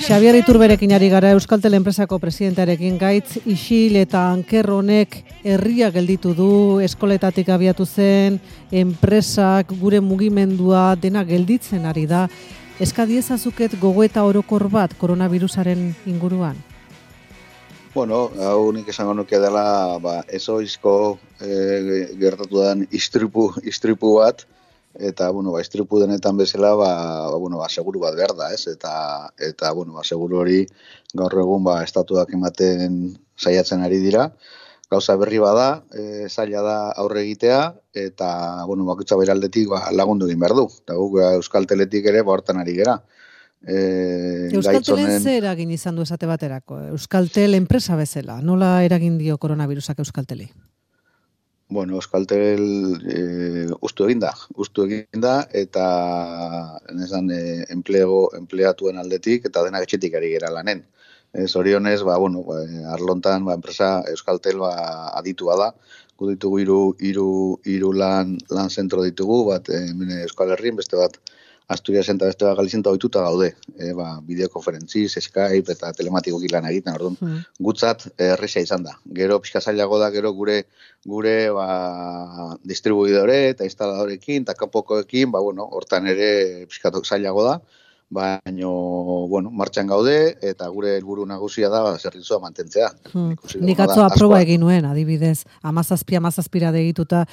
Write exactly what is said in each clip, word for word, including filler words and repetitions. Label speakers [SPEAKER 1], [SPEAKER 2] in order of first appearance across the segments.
[SPEAKER 1] Xabier Iturberekin ari gara Euskaltel enpresako presidentearekin gaitz isil eta anker honek herria gelditu du, eskoletatik abiatu zen, enpresak, gure mugimendua dena gelditzen ari da. Eskadiezazuket gogoeta orokor bat koronavirusaren inguruan?
[SPEAKER 2] Bueno, hau nik esango nuke dela ba, ezoizko e, gertatu den istripu, istripu bat, eta, bueno, ba, istripu denetan bezala, ba, ba, bueno, ba, seguru bat behar da, ez? Eta, eta bueno, ba, seguru hori gaur egun, ba, estatuak ematen saiatzen ari dira. Gauza berri bada, e, zaila da aurre egitea, eta, bueno, bakutza bere aldetik, ba, lagundu egin behar du. Eta guk, Euskalteletik ere, ba, hortan ari gera.
[SPEAKER 1] E, Euskaltelen honen... ze eragin izan du esate baterako? Euskaltel enpresa bezala, nola eragin dio koronavirusak Euskalteli?
[SPEAKER 2] Bueno, Euskaltel e, ustu egin da, ustu egin da, eta nezan, e, enplego, empleatuen aldetik, eta denak etxetik ari gera lanen. E, zorionez, ba, bueno, ba, arlontan, ba, enpresa Euskaltel ba, aditua da, gu ditugu iru, iru, iru lan, lan zentro ditugu, bat e, Euskal Herrien, beste bat Asturias eta beste bat Galizien ohituta gaude, e, ba, bideokonferentziz, Skype eta telematikoki lan egiten, orduan, hmm. gutzat erresa izan da. Gero pixka zailago da, gero gure gure ba, distribuidore eta instaladorekin, eta kanpokoekin, ba, bueno, hortan ere pixka zailago da, baina, bueno, martxan gaude, eta gure helburu nagusia da ba, zerbitzua mantentzea.
[SPEAKER 1] Hmm. Nik atzo aproba egin nuen, adibidez, amazazpia, amazazpira degituta,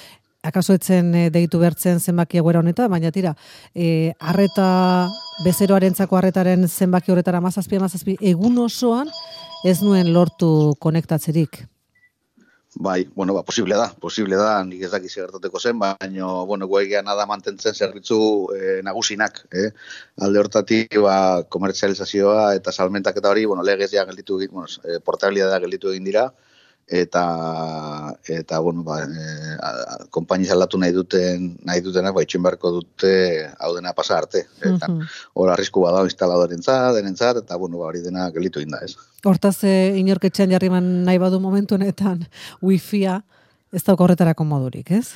[SPEAKER 1] akaso etzen deitu bertzen zenbaki egoera honetan, baina tira, e, arreta, bezeroarentzako arretaren zenbaki horretara amazazpi, amazazpi, egun osoan ez nuen lortu konektatzerik.
[SPEAKER 2] Bai, bueno, ba, posible da, posible da, nik ez dakiz gertateko zen, baina, bueno, guegia nada mantentzen zerbitzu e, nagusinak, eh? Alde hortatik, ba, komertzializazioa eta salmentak eta hori, bueno, legez ja gelditu egin, bueno, e, portabilidadea gelditu egin dira, eta eta bueno ba eh konpainia aldatu nahi duten nahi dutenak ba itxin beharko dute hau dena pasa arte eta hor uh-huh. arrisku bada instaladorentzat denentzat eta bueno ba hori dena gelditu egin da, ez.
[SPEAKER 1] Hortaz e, inorketxean jarriman nahi badu momentu honetan wifia ez dauka horretarako modurik, ez?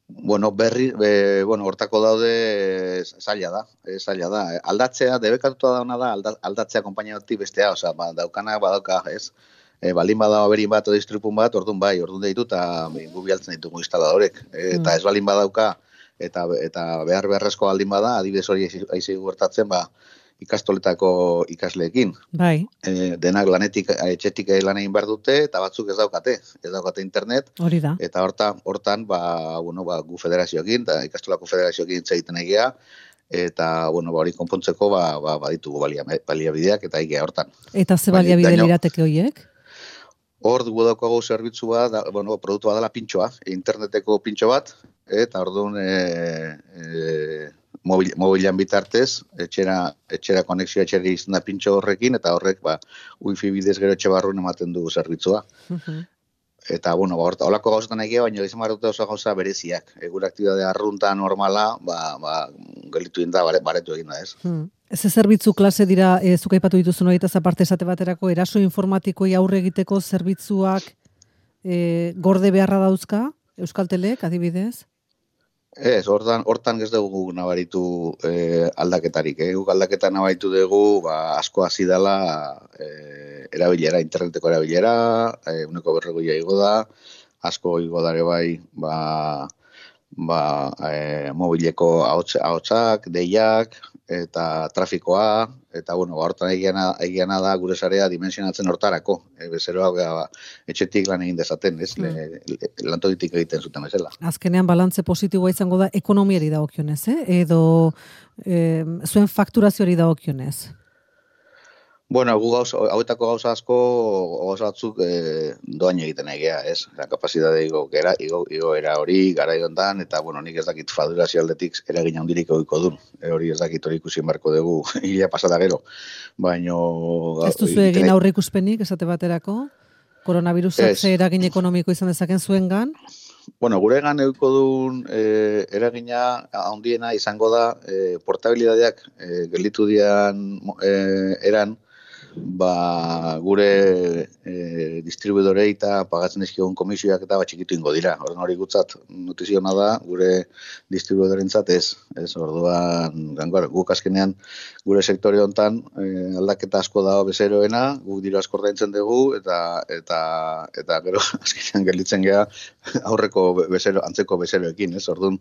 [SPEAKER 2] Bueno, berri, be, bueno, hortako daude zaila da, e, zaila da. Aldatzea, debekatuta dauna da, alda, aldatzea konpainia batik bestea, osea, ba, daukana badauka, ez? E, balin bada aberin bat o distripun bat, orduan bai, orduan deitu eta gu bialtzen ditugu instaladorek. E, eta ez balin badauka, eta eta behar beharrezko baldin bada, adibidez hori aizi gertatzen, ba, ikastoletako ikasleekin.
[SPEAKER 1] Bai.
[SPEAKER 2] E, denak lanetik, etxetik lan egin behar dute, eta batzuk ez daukate, ez daukate internet.
[SPEAKER 1] Hori da.
[SPEAKER 2] Eta hortan, hortan ba, bueno, ba, gu federazioekin, eta ikastolako federazioekin egiten egia, eta, bueno, ba, hori konpontzeko, ba, ba, baditugu balia, baliabideak, eta egia hortan.
[SPEAKER 1] Eta ze baliabide lirateke horiek?
[SPEAKER 2] Hor dugu daukago zerbitzu bat, da, bueno, produktu bat dela pintxoa, interneteko pintxo bat, eta orduan e, e, mobil, mobilan bitartez, etxera, etxera konexioa etxera izan da pintxo horrekin, eta horrek ba, wifi bidez gero etxe barruen ematen dugu zerbitzua. Uh-huh. Eta, bueno, ba, horta, holako gauzetan egia, baina izan barrute oso gauza bereziak. Egure aktibidade arrunta normala, ba, ba, gelitu egin da, baretu egin da, ez.
[SPEAKER 1] Hmm. Ez zerbitzu klase dira, e, zuk aipatu dituzun horietaz aparte esate baterako, eraso informatikoi aurre egiteko zerbitzuak e, gorde beharra dauzka, Euskaltelek, adibidez?
[SPEAKER 2] Ez, hortan, hortan ez dugu nabaritu e, aldaketarik. Eh? Guk aldaketa nabaritu dugu ba, asko hasi dela e, erabilera, interneteko erabilera, e, uneko berregoia igo da, asko igo dare bai, ba, ba, e, mobileko ahotsak, deiak, eta trafikoa, eta, bueno, hortan egiana da gure sarea dimensionatzen hortarako. E, bezeroa ba, etxetik lan egin dezaten, ez? Mm. Le, le, lantokitik egiten zuten bezala.
[SPEAKER 1] Azkenean balantze positiboa izango da ekonomiari dagokionez, eh? Edo eh, zuen fakturazioari dagokionez?
[SPEAKER 2] Bueno, gu gauza, hauetako gauza asko, gauza batzuk e, doain egiten egia, ez? La kapazidade igo, gera, igo, igo era hori, gara hontan eta, bueno, nik ez dakit fadurazio aldetik eragin handirik egiko duen. E, hori ez dakit hori ikusi marko dugu, hilea pasada gero. Baino...
[SPEAKER 1] Ez duzu egin aurre ikuspenik, esate baterako? Koronavirusak ze eragin ekonomiko izan dezaken zuengan?
[SPEAKER 2] Bueno, guregan euko duen e, eragina handiena izango da e, portabilidadeak e, gelditu dian e, eran ba, gure e, distribuidorei eta pagatzen dizkigun komisioak eta bat txikitu ingo dira. Orduan hori gutzat notiziona da, gure distribuidorentzat ez. Ez, orduan, gangor, guk azkenean gure sektore hontan e, aldaketa asko dago bezeroena, guk diru asko ordaintzen dugu eta eta eta gero azkenean gelditzen gea aurreko bezero, antzeko bezeroekin, ez? Orduan,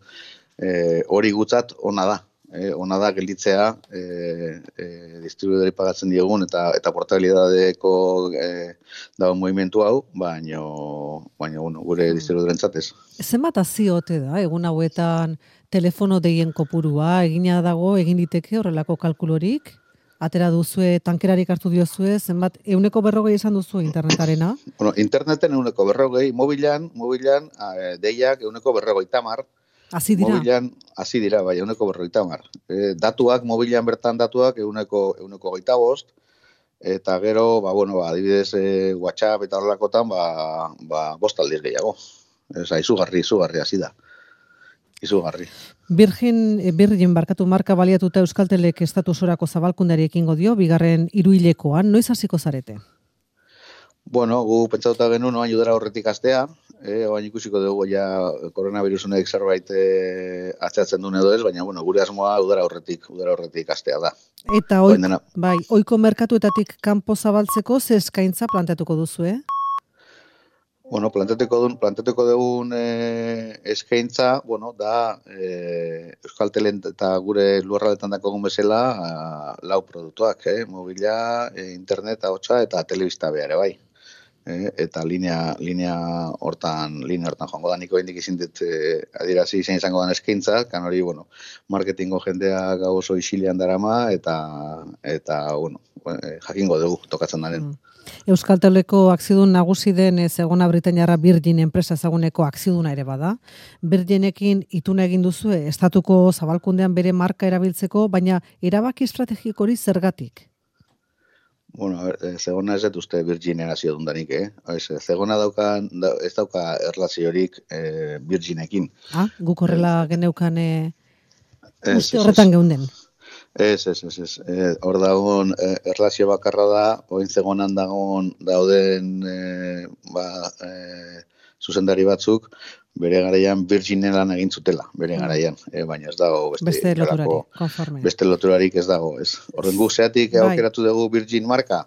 [SPEAKER 2] e, hori gutzat ona da. Eh, ona da gelditzea eh, eh, distribuidori pagatzen diegun eta eta portabilidadeko eh, dago movimentu hau, baino, baino bueno, gure distribuidorentzat ez.
[SPEAKER 1] Zenbat aziote da, egun hauetan telefono deien kopurua, egina dago, egin diteke horrelako kalkulorik? Atera duzue, tankerarik hartu diozue, zenbat, euneko berrogei esan duzu internetarena?
[SPEAKER 2] Bueno, interneten euneko berrogei, mobilan, mobilan eh, deiak euneko berrogei tamar,
[SPEAKER 1] Hasi dira?
[SPEAKER 2] Mobilan, hasi dira, bai, euneko berrogeita hamar. E, datuak, mobilan bertan datuak, euneko, euneko goita bost, eta gero, ba, bueno, ba, adibidez, e, WhatsApp eta horrelakotan, ba, ba, bost aldiz gehiago. Eza, izugarri, izugarri hasi da. Izugarri.
[SPEAKER 1] Virgin, Virgin barkatu marka baliatuta Euskaltelek estatusorako zabalkundari ekingo dio, bigarren hiruhilekoan, noiz hasiko zarete?
[SPEAKER 2] Bueno, gu pentsatuta genuen oain udara horretik astea, eh, oain ikusiko dugu ja koronavirus honek zerbait eh, atzeatzen duen edo ez, baina bueno, gure asmoa udara horretik, udara horretik astea da.
[SPEAKER 1] Eta oi, bai, ohiko merkatuetatik kanpo zabaltzeko ze eskaintza planteatuko duzu, eh?
[SPEAKER 2] Bueno, planteatuko dugun, planteatuko dugun eh, eskaintza, bueno, da eh, Euskaltelen eta gure lurraldetan dakogun bezala a, lau produktuak, eh, mobila, eh, internet, ahotsa eta telebista behar, bai. Eh, eta linea linea hortan linea hortan joango da niko indik izin dut eh, adierazi zein izango den eskaintza, kan hori bueno, marketingo jendea gau oso isilean darama eta eta bueno, eh, jakingo dugu tokatzen daren.
[SPEAKER 1] Mm. Euskalteleko akziodun nagusi den Zegona Britainiarra Virgin enpresa ezaguneko akzioduna ere bada. Virginekin ituna egin duzu estatuko zabalkundean bere marka erabiltzeko, baina erabaki estrategiko hori zergatik?
[SPEAKER 2] Bueno, a ver, Zegona ez dut uste Virginen hasio dundanik, eh? Zegona daukan, da, ez dauka erlaziorik eh, Virginekin.
[SPEAKER 1] Ah, guk horrela geneukan eh, uste horretan geunden.
[SPEAKER 2] Ez, ez, ez, ez. Eh, hor dagoen eh, erlazio bakarra da, oin Zegonan dagoen dauden eh, ba, eh, zuzendari batzuk, bere garaian Virginen lan egin zutela, bere garaian, eh, baina ez dago beste,
[SPEAKER 1] beste loturari, konforme.
[SPEAKER 2] Beste loturarik ez dago, ez. Horren gu zeatik aukeratu dugu Virgin marka,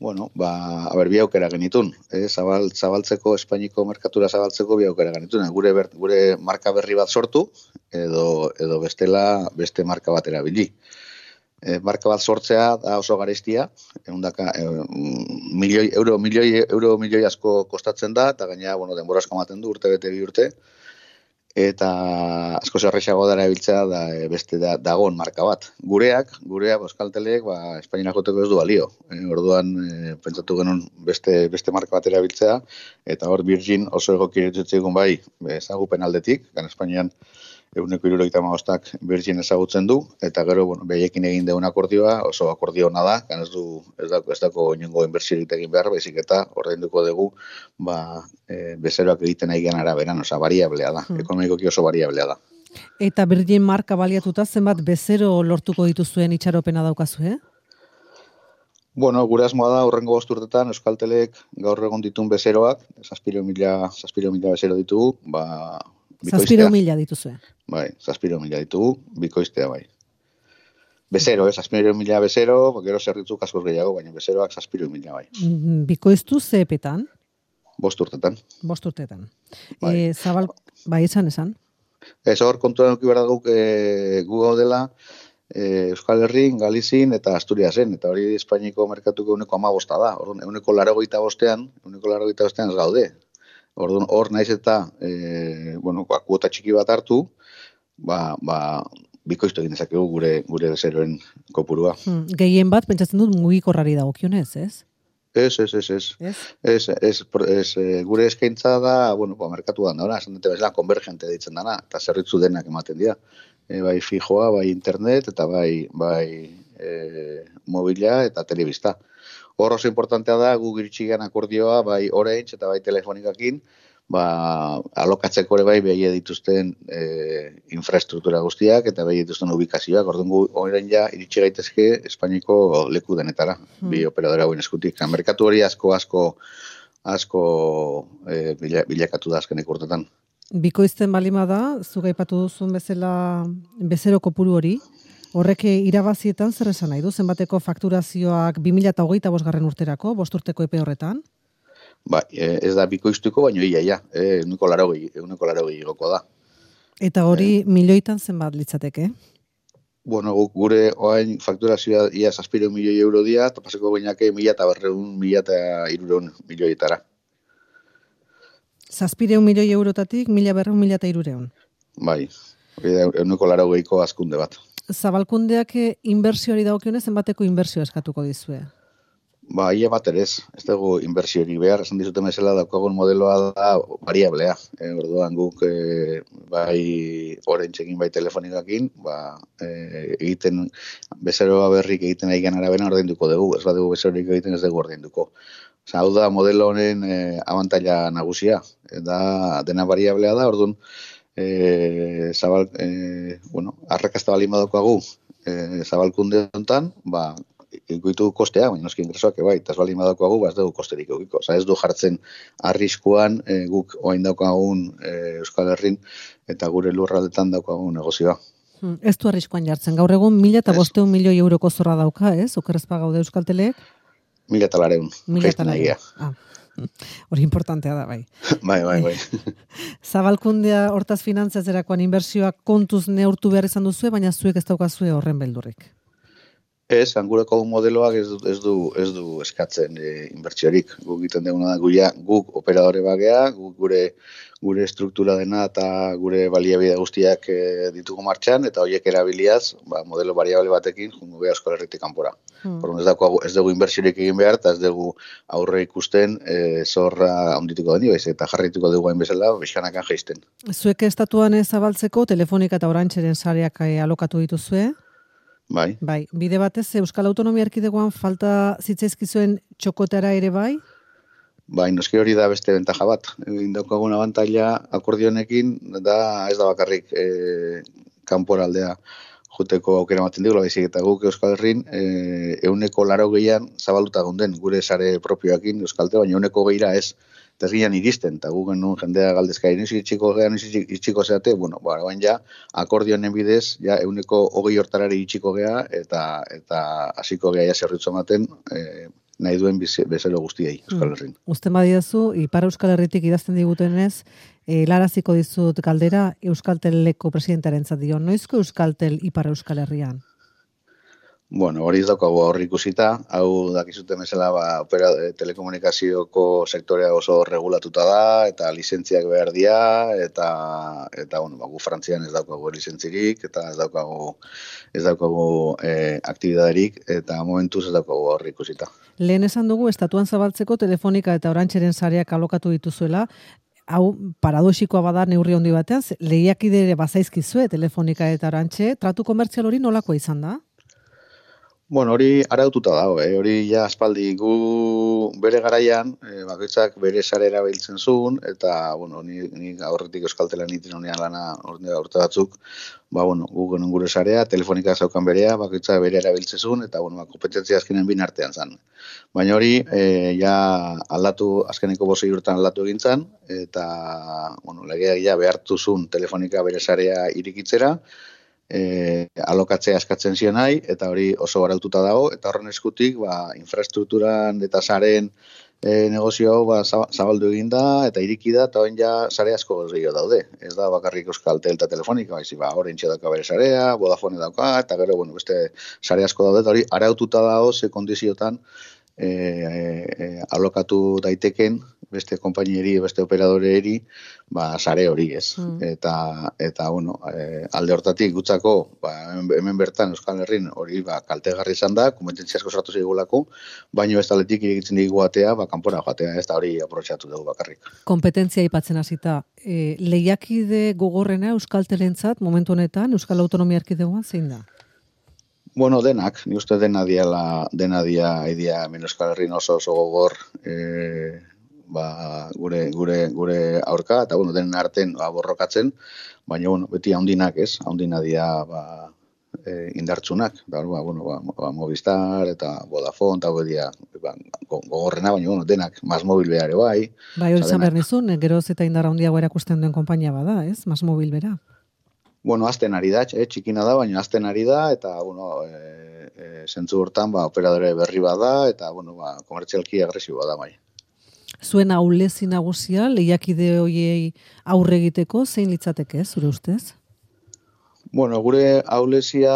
[SPEAKER 2] bueno, ba, haber, bi aukera genitun, eh, zabal, zabaltzeko, Espainiko merkatura zabaltzeko bi aukera genitun, gure, ber, gure marka berri bat sortu, edo, edo bestela beste marka bat erabili. E, marka bat sortzea da oso garestia, ehundaka e, milioi euro, milioi euro, milioi asko kostatzen da, eta gaina, bueno, denbora asko ematen du, urte bete bi urte, eta asko zerrexago dara ebiltzea da e, beste da, dagoen marka bat. Gureak, gureak, Euskaltelek, ba, Espainiara joteko ez du balio. E, orduan, e, pentsatu genuen beste, beste marka bat erabiltzea, eta hor Virgin oso egokiretutzen bai, ezagupen aldetik, gan Espainian eguneko hirurogeita hamabostak Virgin ezagutzen du, eta gero, bueno, behaiekin egin deun akordioa, oso akordio ona da, kan ez du, ez dako, ez dako inongo inbertsiorik egin behar, baizik eta ordainduko dugu, ba, e, bezeroak egiten egin araberan, oza, variablea da, hmm. ekonomikoki oso variablea da.
[SPEAKER 1] Eta Virgin marka baliatuta zenbat bezero lortuko dituzuen itxaropena daukazu, eh?
[SPEAKER 2] Bueno, gure asmoa da, horrengo bost urtetan, Euskaltelek gaur egon ditun bezeroak, zazpiro mila, zazpiro mila bezero ditugu, ba,
[SPEAKER 1] Zazpiro mila dituzue.
[SPEAKER 2] Bai, zazpiro mila ditugu, bikoiztea bai. Bezero, eh, zazpiro mila bezero, gero zerritzuk askoz gehiago, baina bezeroak zazpiro mila bai.
[SPEAKER 1] Bikoiztu zeepetan?
[SPEAKER 2] Bost urtetan.
[SPEAKER 1] Bost urtetan. Bai. E, zabal, bai, esan, esan?
[SPEAKER 2] Ez hor, kontuan eduki behar guk e, gu gaudela, e, Euskal Herrin, Galizin eta Asturiasen, eta hori Espainiko merkatuko euneko amabosta da. Orduan, euneko larogeita bostean, euneko larogeita bostean ez gaude. Orduan, hor naiz eta, e, bueno, kuota txiki bat hartu, ba, ba, bikoiztu egin dezakegu gure gure bezeroen kopurua.
[SPEAKER 1] Hmm, gehien bat, pentsatzen dut mugikorrari dagokionez, ez?
[SPEAKER 2] Ez, ez, ez, ez. Ez? Ez, ez, ez, gure eskaintza da, bueno, ba, merkatuan da, esan dute bezala, konvergente ditzen dana, eta zerritzu denak ematen dira. E, bai fijoa, bai internet, eta bai, bai e, mobila eta telebista. Hor oso importantea da, gu giritxigan akordioa, bai Orange eta bai telefonikakin, ba, alokatzeko ere bai behie dituzten e, infrastruktura guztiak eta behie dituzten ubikazioak, orduan gu orain ja iritsi gaitezke Espainiko leku denetara, hmm. bi operadora hauen eskutik. Merkatu hori asko asko asko e, bila, bilakatu da azkenek urtetan.
[SPEAKER 1] Bikoizten balima da, zuk aipatu duzun bezala bezero kopuru hori, horrek irabazietan zer esan nahi du? Zenbateko fakturazioak bi mila hogeita bosgarren urterako, bost urteko epe horretan?
[SPEAKER 2] Ba, ez da bikoiztuko, baina ia, ia, euneko larogei, euneko larogei igoko da.
[SPEAKER 1] Eta hori e, milioitan zenbat litzateke?
[SPEAKER 2] Bueno, gure oain fakturazioa ia zazpireun milioi euro dia, eta paseko bainake mila eta berreun, mila eta irureun milioietara.
[SPEAKER 1] Zazpireun milioi eurotatik, mila berreun, mila eta irureun.
[SPEAKER 2] Bai, euneko larogeiko azkunde bat.
[SPEAKER 1] Zabalkundeak inbertsioari dagokionez, zenbateko inbertsio eskatuko dizue?
[SPEAKER 2] Ba, ia bat ere ez, ez dugu inbertsiori behar, esan dizute mesela daukagun modeloa da variablea. E, orduan guk e, bai orentxekin bai telefonikakin, ba, e, egiten bezeroa berrik egiten aigan arabena ordainduko dugu, ez badugu bezerorik egiten ez dugu ordainduko. Osa, hau da modelo honen e, abantaila nagusia, e, da dena variablea da, orduan e, zabal, e, bueno, arrakazta bali madokoagu e, zabalkunde honetan, ba, ikuitu kostea, baina noski ingresoak bai, eta ez bali madokoagu, ba ez dugu kosterik egiko. Osa, ez du jartzen arriskuan e, guk oain daukagun e, Euskal Herrin eta gure lurraldetan daukagun negozioa.
[SPEAKER 1] Hmm, ez du arriskuan jartzen. Gaur egun mila eta bosteun milioi euroko zorra dauka, ez? Okerrezpa gaude Euskaltelek?
[SPEAKER 2] Mila eta lareun.
[SPEAKER 1] Mila eta lareun. Ah. Hori importantea da, bai.
[SPEAKER 2] Bai, bai, bai.
[SPEAKER 1] Zabalkundea hortaz finantzazerakoan inbertsioak kontuz neurtu behar izan duzue, baina zuek ez daukazue horren beldurrik.
[SPEAKER 2] Ez, angureko modeloak ez du, ez du, ez du eskatzen e, inbertsiorik. Guk egiten duguna da, guia, guk operadore bagea, guk gure gure struktura dena eta gure baliabide guztiak e, ditugu martxan, eta horiek erabiliaz, ba, modelo variable batekin, jungo beha Euskal Herritik kanpora. Hmm. Por ez, dago, ez dugu inbertsiorik egin behar, eta ez dugu aurre ikusten e, zorra ondituko deni, baiz, eta jarrituko dugu hain bezala, bizkanakan jaisten.
[SPEAKER 1] Zuek estatuan zabaltzeko, Telefonika eta Orantxeren sareak alokatu dituzue?
[SPEAKER 2] Bai.
[SPEAKER 1] Bai, bide batez Euskal Autonomia Erkidegoan falta zitzaizkizuen txokotera ere bai?
[SPEAKER 2] Bai, noski hori da beste bentaja bat. Indaukagun abantaila akordionekin da ez da bakarrik e, kanporaldea joteko aukera ematen digula, baizik eta guk Euskal Herrin e, euneko laro gehian zabalduta gonden gure sare propioakin Euskalte, baina euneko gehira ez. Eta ginean iristen, eta gu genuen jendea galdezka, inoiz itxiko gehan, inoiz itxiko zeate, bueno, ba, bain ja, akordionen bidez, ja, euneko hogei hortarari itxiko geha, eta eta hasiko geha ja zerritzu ematen, e, nahi duen bezero guztiei, Euskal Herrin.
[SPEAKER 1] Mm. Usten badiazu, Ipar Euskal Herritik idazten digutenez, e, laraziko dizut galdera Euskalteleko presidentaren dio, noizko Euskaltel Ipar Euskal Herrian?
[SPEAKER 2] Bueno, hori ez daukagu aurri ikusita, hau dakizuten bezala ba, opera, telekomunikazioko sektorea oso regulatuta da, eta lizentziak behar dira, eta, eta bueno, ba, gu Frantzian ez daukagu lizentzirik, eta ez daukagu, ez daukagu e, aktibidaderik, eta momentuz ez daukagu aurri ikusita.
[SPEAKER 1] Lehen esan dugu, estatuan zabaltzeko Telefonika eta Orantxeren sareak alokatu dituzuela, hau paradoxikoa bada neurri handi batean, lehiakide ere bazaizkizue Telefonika eta Orantxe, tratu komertzial hori nolakoa izan da?
[SPEAKER 2] Bueno, hori araututa dago, eh? Hori ja aspaldi gu bere garaian, eh, bakoitzak bere sare erabiltzen zuen, eta, bueno, ni, ni aurretik Euskaltelan iten honean lana ordea urte batzuk, ba, bueno, gu genuen gure sarea, Telefonika zaukan berea, bakoitzak bere erabiltzen zuen, eta, bueno, ba, kompetentzia azkenen bin artean zen. Baina hori, eh, ja aldatu, azkeneko bosei urtean aldatu egin zen, eta, bueno, legeak ja behartu zuen Telefonika bere sarea irikitzera, E, alokatzea eskatzen zion nahi, eta hori oso araututa dago, eta horren eskutik ba, infrastrukturan eta saren e, negozio hau ba, zabaldu egin da, eta iriki da, eta horren ja sare asko gehiago daude. Ez da bakarrik Euskaltel eta Telefonika, baizik, ba, Orentxe dauka bere sarea, Vodafone dauka, eta gero, bueno, beste sare asko daude, eta hori araututa dago ze kondiziotan e, e, alokatu daiteken beste konpainieri, beste operadoreeri, ba, sare hori ez. Mm. Eta, eta bueno, e, alde hortatik gutzako, ba, hemen bertan Euskal Herrin hori ba, kaltegarri izan da, kompetentzia asko sartu zeigulako, baino ez taletik irekitzen digu atea, ba, kanpora joatea, ez da hori aprobetxatu dugu bakarrik.
[SPEAKER 1] Kompetentzia aipatzen hasita, e, lehiakide gogorrena Euskaltelentzat momentu honetan, Euskal Autonomia Erkidegoan zein da?
[SPEAKER 2] Bueno, denak, ni uste dena diala, dena dia, idea, hemen Euskal Herrin oso oso gogor, e, ba, gure, gure, gure aurka, eta bueno, denen arten ba, borrokatzen, baina bueno, beti haundinak ez, haundina dia ba, e, indartsunak, da, ba, bueno, ba, ba, Movistar eta Vodafone, eta dia ba, gogorrena, baina bueno, denak, Masmobil behar bai.
[SPEAKER 1] Bai, hori zan behar nizun, geroz eta indarra handiago erakusten duen konpainia bada, ez? Masmobil bera.
[SPEAKER 2] Bueno, azten ari da, eh, txikina da, baina azten ari da, eta, bueno, e, e, zentzu hortan, ba, operadore berri bada, eta, bueno, ba, komertzialki agresiboa da, bai.
[SPEAKER 1] Zuen ahulezi nagusia, lehiakide hoiei aurre egiteko, zein litzateke, zure ustez?
[SPEAKER 2] Bueno, gure ahulezia,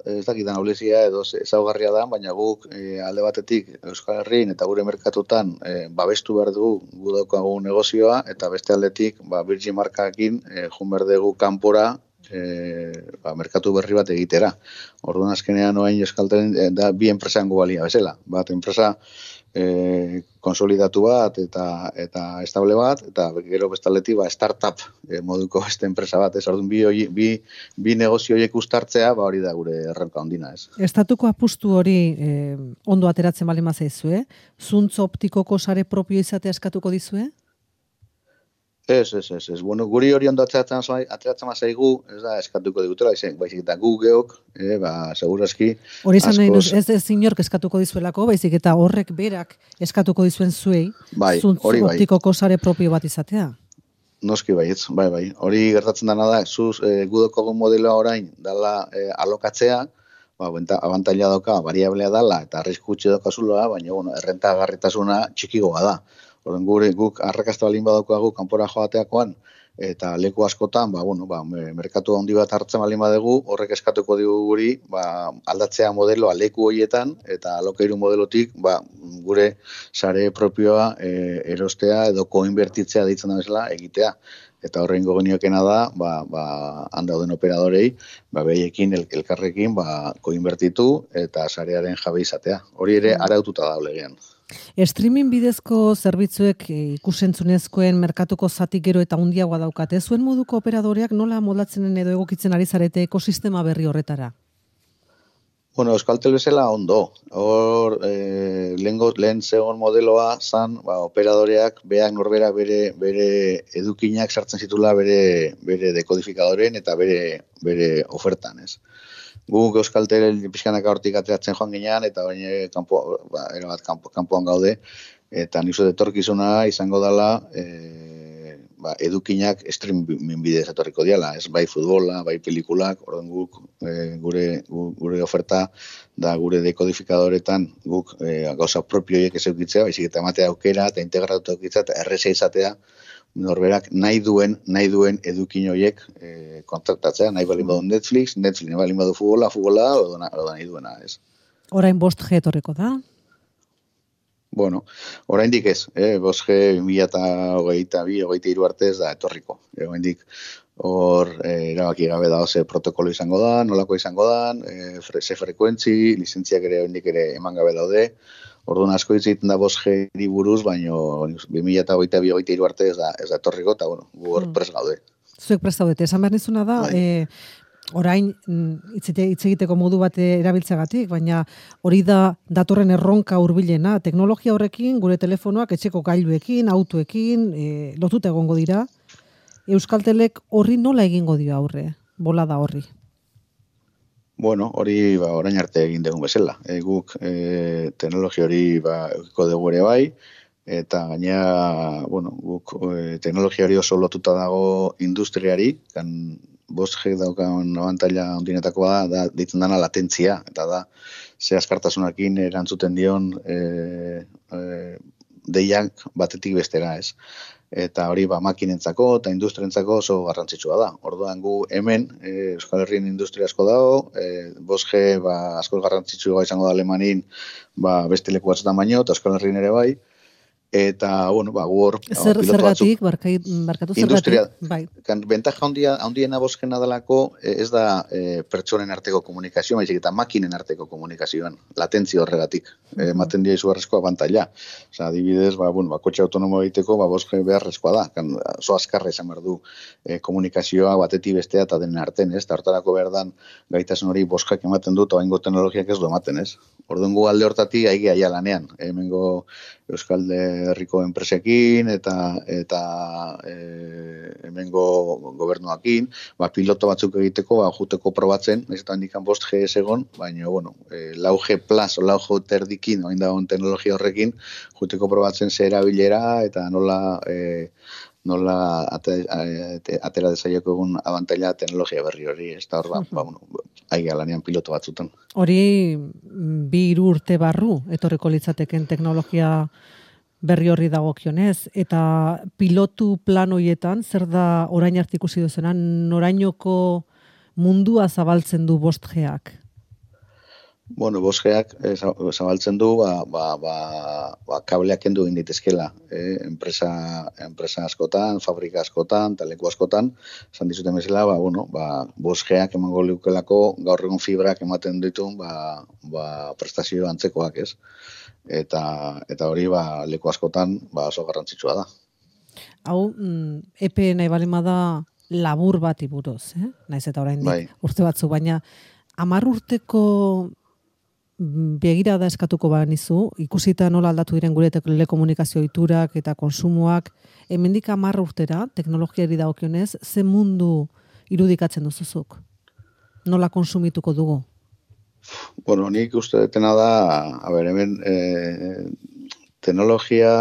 [SPEAKER 2] ez dakitan ahulezia edo ezaugarria da, baina guk e, alde batetik Euskal Herrian eta gure merkatutan e, babestu behar dugu gu daukagu negozioa, eta beste aldetik ba, Virgin markakin e, jun behar dugu kanpora e, ba, merkatu berri bat egitera. Orduan azkenean oain Euskaltelen e, da bi enpresango balia bezala. Bat enpresa e, konsolidatu bat eta eta estable bat, eta gero bestaldetik ba, startup e, moduko beste enpresa bat. Ez orduan bi, bi, bi negozio horiek uztartzea, ba, hori da gure erronka ondina. Ez.
[SPEAKER 1] Estatuko apustu hori eh, ondo ateratzen bali mazaizue, zuntz optikoko sare propio izatea eskatuko dizue?
[SPEAKER 2] Ez, ez, ez, ez. Bueno, guri hori ondo ateratzen ateratzen zaigu, ez da eskatuko digutela, baizik eta gu geok, eh, ba, segurazki.
[SPEAKER 1] Hori izan nahi nuz, ez ez inork eskatuko dizuelako, baizik eta horrek berak eskatuko dizuen zuei,
[SPEAKER 2] bai,
[SPEAKER 1] zuntz
[SPEAKER 2] hori bai.
[SPEAKER 1] optikoko sare propio bat izatea.
[SPEAKER 2] Noski baietz, bai, bai. Hori gertatzen dena da, zuz e, gudoko modeloa orain dala e, alokatzea, ba, abantaila dauka, variablea dala, eta arrisku gutxi daukazula, baina, bueno, errentagarritasuna txikigoa da. Horren gure guk arrakasta balin badaukagu kanpora joateakoan, eta leku askotan, ba, bueno, ba, merkatu handi bat hartzen balin badegu, horrek eskatuko digu guri, ba, aldatzea modeloa leku horietan, eta alokairu modelotik, ba, gure sare propioa e, erostea edo koinbertitzea deitzen da bezala egitea. Eta horrein gogeniokena da, ba, ba, handauden operadorei, ba, behiekin, el, elkarrekin, ba, koinbertitu eta sarearen jabe izatea. Hori ere araututa da legean.
[SPEAKER 1] Streaming bidezko zerbitzuek ikusentzunezkoen merkatuko zati gero eta handiagoa daukate. Zuen moduko operadoreak nola moldatzen edo egokitzen ari zarete ekosistema berri horretara?
[SPEAKER 2] Bueno, Euskaltel bezala ondo. Hor, e, lehengo, lehen zegoen modeloa zan, ba, operadoreak beak norbera bere, bere edukinak sartzen zitula bere, bere dekodifikadoren eta bere, bere ofertan, ez. Guk Euskaltel pixkanaka hortik ateratzen joan ginean, eta baina kanpo, ba, erabat kanpo, kanpoan gaude, eta nizu detorkizuna izango dela e, ba, edukinak streaming bidez etorriko diala, ez bai futbola, bai pelikulak, orduan guk e, gure, gure oferta da gure dekodifikadoretan guk e, gauza propioiek ez eukitzea, baizik eta ematea aukera eta integratu eukitzea eta erreza izatea norberak nahi duen, nahi duen edukin horiek e, kontaktatzea, nahi balin badu Netflix, Netflix, nahi balin badu futbola, futbola, edo nahi duena, ez.
[SPEAKER 1] Orain bost G etorriko da?
[SPEAKER 2] Bueno, oraindik ez, eh, bost G mila eta hogeita bi, hogeita hiru arte ez da etorriko. E, oraindik hor eh, erabaki gabe da ze protokolo izango da, nolako izango da, eh, ze frekuentzi, lizentziak ere oraindik ere eman gabe daude. Orduan asko hitz egiten da bost G buruz, baino bi mila hogeita bi, hogeita hiru arte ez da, ez da etorriko, eta bueno, gu hor prest gaude.
[SPEAKER 1] Zuek prest gaudete, esan behar nizuna da, eh, orain hitz egiteko modu bat erabiltzeagatik, baina hori da datorren erronka hurbilena. Teknologia horrekin, gure telefonoak etxeko gailuekin, autoekin, e, lotuta egongo dira. Euskaltelek horri nola egingo dio aurre, bolada horri?
[SPEAKER 2] Bueno, hori ba, orain arte egin dugun bezala. E, guk e, teknologia hori ba, eukiko dugu ere bai, eta gaina, bueno, guk e, teknologia hori oso lotuta dago industriari, kan bost G daukan abantaila ondinetakoa da, da ditzen dana latentzia, eta da, ze askartasunakin erantzuten dion e, e, deiak batetik bestera, ez. Eta hori ba, makinentzako eta industrientzako oso garrantzitsua da. Orduan gu hemen, e, Euskal Herrien industria asko dago, e, bost G ba, asko garrantzitsua izango da Alemanin ba, beste leku batzutan baino, eta Euskal Herrien ere bai, eta, bueno, ba, gu hor...
[SPEAKER 1] Zer, zergatik, barkatu zergatik?
[SPEAKER 2] Bai. Kan, bentaja handia, handiena boskena dalako ez da e, pertsonen arteko komunikazioa, baizik eta makinen arteko komunikazioan, latentzia horregatik, ematen dia izugarrezko abantaila. Osa, adibidez, ba, bueno, ba, kotxe autonomo egiteko, ba, boske beharrezkoa da, kan, oso azkarra izan behar du e, komunikazioa batetik bestea eta denen arten, ez? Eta hortarako behar dan gaitasun hori boskak ematen du, eta baingo teknologiak ez du ematen, ez? Orduan gu alde hortatik aigi aia lanean. Hemengo Euskal Herriko enpresekin eta eta e, hemengo gobernuakin, ba, piloto batzuk egiteko, ba, juteko probatzen, ez eta handikan bost G ez egon, baina, bueno, e, lau G plus o lau G terdikin, oin dagoen teknologia horrekin, juteko probatzen ze erabilera eta nola... E, nola atera desaioko egun abantaila teknologia berri hori, ez da hor, ba, ba, bueno, aiga lanean piloto batzutan.
[SPEAKER 1] Hori bi hiru urte barru, etorriko litzateken teknologia berri horri dagokionez, eta pilotu plan horietan, zer da orain arte ikusi duzena, norainoko mundua zabaltzen du bost G-ak?
[SPEAKER 2] Bueno, bost G-ak eh, zabaltzen du, ba, ba, ba, ba, kableak kendu egin ditezkela. Eh? Enpresa, enpresa askotan, fabrika askotan, taleko askotan, esan dizuten bezala, ba, bueno, ba, bost G-ak emango leukelako, gaur egun fibrak ematen ditun, ba, ba, prestazio antzekoak, ez? Eta, eta hori, ba, leku askotan, ba, oso garrantzitsua da.
[SPEAKER 1] Hau, mm, epe nahi balima da labur bat iburuz, eh? Naiz eta orain bai. Urte batzu, baina hamar urteko begirada eskatuko banizu, ikusita nola aldatu diren gure telekomunikazio ohiturak eta konsumoak, hemendik hamar urtera, teknologiari dagokionez, ze mundu irudikatzen duzuzuk? Nola konsumituko dugu?
[SPEAKER 2] Bueno, nik uste detena da, a ber, hemen eh, teknologia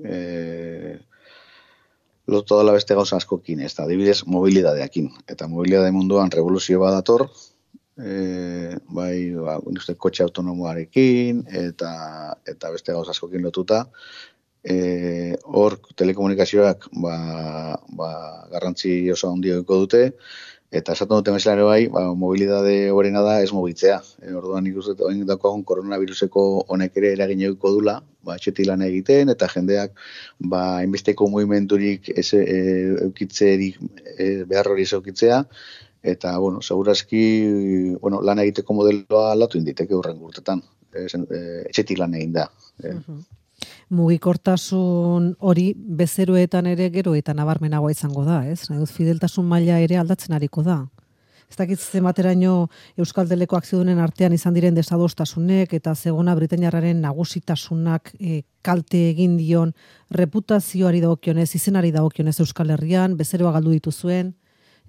[SPEAKER 2] eh, lotu dela beste gauza askokin, ez da, adibidez, mobilidadeakin. Eta mobilidade munduan revoluzio bat dator, E, bai, ba, uste, kotxe autonomoarekin eta eta beste gauza askokin lotuta. E, hor telekomunikazioak ba, ba, garrantzi oso handiko dute, eta esaten dute meselare bai, ba, mobilidade horrena da ez mobitzea. E, orduan ikusten dut dagoen koronaviruseko honek ere eragin edukiko dula, ba, etxetik lan egiten, eta jendeak ba, hainbesteko mugimendurik ez e, eukitzerik e, behar hori ez eukitzea, eta, bueno, segurazki, bueno, lan egiteko modeloa aldatu inditeke hurrengo urtetan. E, etxetik lan egin da. E.
[SPEAKER 1] Uh-huh. Mugikortasun hori bezeroetan ere gero eta nabarmenagoa izango da, ez? Fideltasun maila ere aldatzen ariko da. Ez dakit zenbateraino Euskal Teleko akziodunen artean izan diren desadostasunek eta zegona Britainiarraren nagusitasunak e, kalte egin dion reputazioari dagokionez, izenari dagokionez Euskal Herrian, bezeroa galdu dituzuen,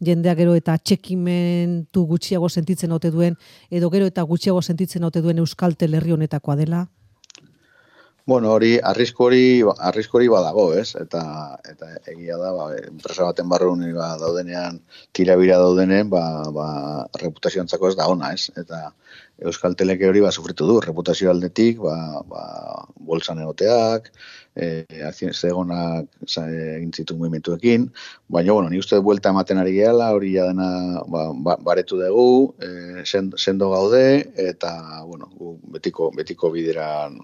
[SPEAKER 1] jendeak gero eta txekimentu gutxiago sentitzen ote duen, edo gero eta gutxiago sentitzen ote duen Euskaltel herri honetakoa dela?
[SPEAKER 2] Bueno, hori, arrisku hori, arrisku hori badago, ez? Eta, eta egia da, ba, enpresa baten barrun ba, daudenean, tirabira daudenen, ba, ba, reputazioantzako ez da ona, ez? Eta Euskaltelek hori ba, sufritu du, reputazio aldetik, ba, ba, bolsan egoteak, e, zegonak egin zitu mugimenduekin, baina, bueno, ni uste buelta ematen ari gehala, hori ja dena ba, ba, baretu dugu, e, sendo gaude, eta, bueno, betiko, betiko bideran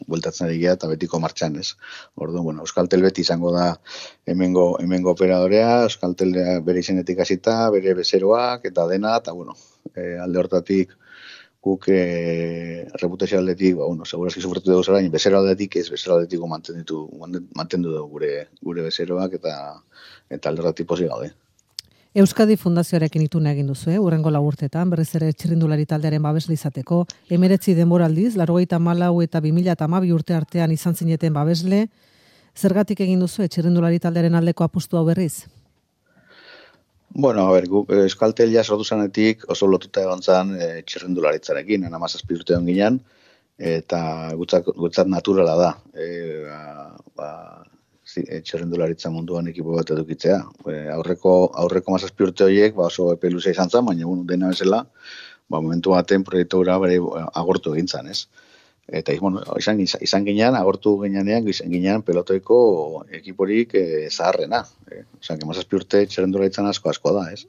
[SPEAKER 2] bueltatzen ari geha eta betiko martxan, ez. Orduan, bueno, Euskaltel beti izango da hemengo, hemengo operadorea, Euskaltel bere izenetik hasita, bere bezeroak eta dena, eta, bueno, e, alde hortatik guk e, reputazio aldetik, ba, bueno, segurazki sufritu dugu zara, bezero aldetik ez, bezero aldetik mantendu, mantendu dugu gure, gure bezeroak eta, eta alde hortatik pozik gaude.
[SPEAKER 1] Euskadi Fundazioarekin ituna egin duzu, eh? Urrengo lau urtetan, berriz ere txirrindulari taldearen babesle izateko, hemeretzi denboraldiz, laurogeita hamalau eta bi mila hamabi urte artean izan zineten babesle, zergatik egin duzu txirrindulari taldearen aldeko apustu hau berriz?
[SPEAKER 2] Bueno, a ber, Euskaltel ja sortu zanetik oso lotuta egon zan e, txirrindularitzarekin, hamazazpi urte egon ginen, eta gutzat, gutzat naturala da. E, ba, ba, txirrindularitza munduan ekipo bat edukitzea. E, aurreko aurreko hamazazpi urte horiek ba oso epe luze izan zen, baina bueno, dena bezala, ba momentu baten proiektu hura bere agortu egin zan, ez? Eta bueno, izan izan ginean agortu gineanean izan ginean pelotoiko ekiporik e, zaharrena. E, Osea, hamazazpi urte txirrindularitzan asko asko da, ez?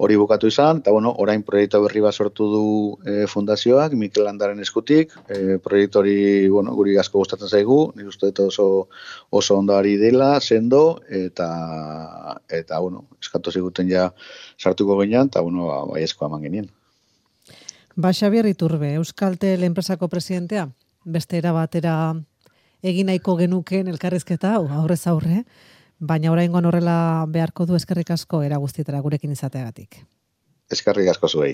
[SPEAKER 2] Hori bukatu izan, eta bueno, orain proiektu berri bat sortu du e, fundazioak, Mikel Landaren eskutik, e, proiektu hori, bueno, guri asko gustatzen zaigu, nire uste oso, oso ondari dela, sendo, eta, eta bueno, eskatu ziguten ja sartuko ginean, eta bueno, bai esko eman genien.
[SPEAKER 1] Ba, Xabier Iturbe, Euskaltel enpresako presidentea, beste era batera egin nahiko genuken elkarrizketa, aurrez aurre, baina oraingoan horrela beharko du eskerrik asko era guztietara gurekin izateagatik.
[SPEAKER 2] Eskerrik asko zuei.